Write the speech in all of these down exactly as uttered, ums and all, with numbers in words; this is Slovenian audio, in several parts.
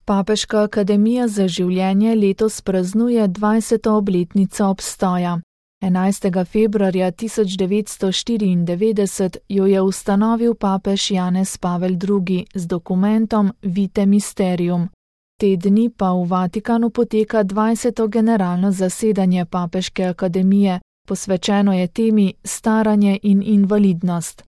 Papeška akademija za življenje letos praznuje dvajseto obletnico obstoja. enajstega februarja tisoč devetsto štiriindevetdeset jo je ustanovil papež Janez Pavel drugi z dokumentom Vitae Mysterium. Te dni pa v Vatikanu poteka dvajseto generalno zasedanje Papeške akademije, posvečeno je temi staranje in invalidnost.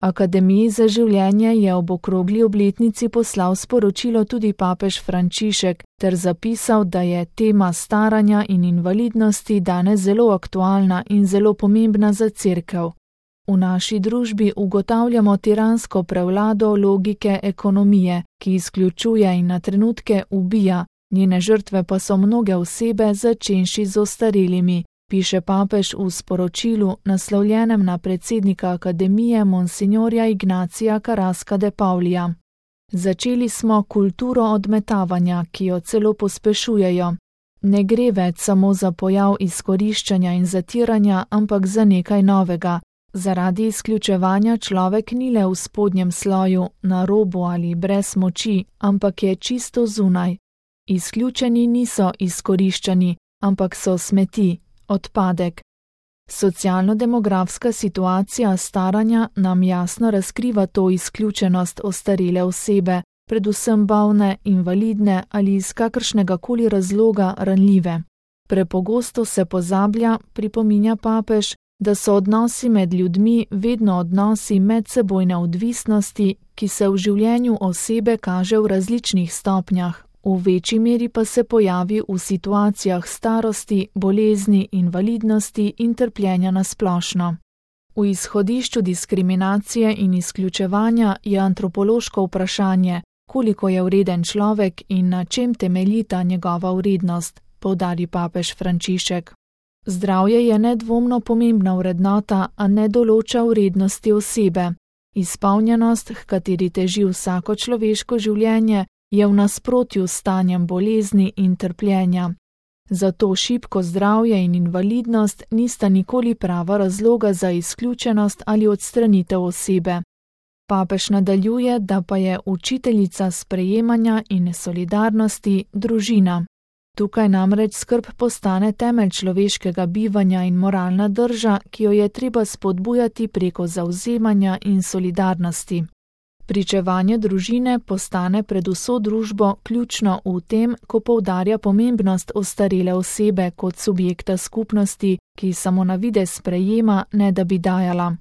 Akademiji za življenje je ob okrogli obletnici poslal sporočilo tudi papež Frančišek ter zapisal, da je tema staranja in invalidnosti danes zelo aktualna in zelo pomembna za Cerkev. V naši družbi ugotavljamo tiransko prevlado logike ekonomije, ki izključuje in na trenutke ubija, njene žrtve pa so mnoge osebe, začenši z ostarelimi, piše papež v sporočilu, naslovljenem na predsednika akademije monsignorja Ignacija Carrasca de Paulija. Začeli smo kulturo odmetavanja, ki jo celo pospešujejo. Ne gre več samo za pojav izkoriščanja in zatiranja, ampak za nekaj novega. Zaradi izključevanja človek ni le v spodnjem sloju, na robu ali brez moči, ampak je čisto zunaj. Izključeni niso izkoriščani, ampak so smeti, odpadek. Socialno-demografska situacija staranja nam jasno razkriva to izključenost ostarele osebe, predvsem bolne, invalidne ali iz kakršnega koli razloga ranljive. Prepogosto se pozablja, pripominja papež, da so odnosi med ljudmi vedno odnosi medsebojne odvisnosti, ki se v življenju osebe kaže v različnih stopnjah, v večji meri pa se pojavi v situacijah starosti, bolezni, invalidnosti in trpljenja na splošno. V izhodišču diskriminacije in izključevanja je antropološko vprašanje, koliko je vreden človek in na čem temeljita njegova vrednost, poudari papež Frančišek. Zdravje je nedvomno pomembna vrednota, a ne določa vrednosti osebe. Izpolnjenost, h kateri teži vsako človeško življenje, je v nasprotju s stanjem bolezni in trpljenja. Zato šibko zdravje in invalidnost nista nikoli prava razloga za izključenost ali odstranitev osebe. Papež nadaljuje, da pa je učiteljica sprejemanja in solidarnosti družina. Tukaj namreč skrb postane temelj človeškega bivanja in moralna drža, ki jo je treba spodbujati preko zavzemanja in solidarnosti. Pričevanje družine postane pred vso družbo ključno v tem, ko poudarja pomembnost ostarele osebe kot subjekta skupnosti, ki samo na videz sprejema, ne da bi dajala.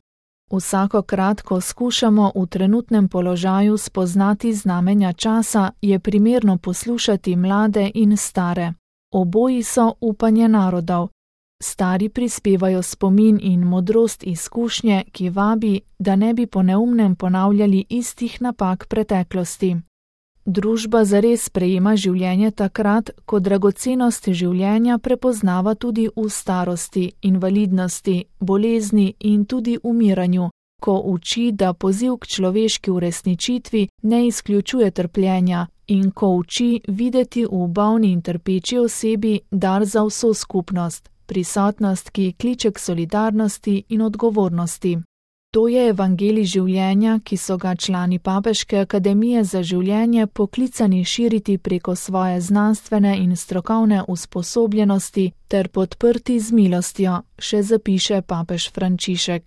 Vsakokrat, ko skušamo v trenutnem položaju spoznati znamenja časa, je primerno poslušati mlade in stare. Oboji so upanje narodov. Stari prispevajo spomin in modrost izkušnje, ki vabi, da ne bi po neumnem ponavljali istih napak preteklosti. Družba zares sprejema življenje takrat, ko dragocenost življenja prepoznava tudi v starosti, invalidnosti, bolezni in tudi umiranju, ko uči, da poziv k človeški uresničitvi ne izključuje trpljenja in ko uči videti v bolni in trpeči osebi dar za vso skupnost, prisotnost, ki kliče k solidarnosti in odgovornosti. To je evangelij življenja, ki so ga člani Papeške akademije za življenje poklicani širiti preko svoje znanstvene in strokovne usposobljenosti ter podprti z milostjo, še zapiše papež Frančišek.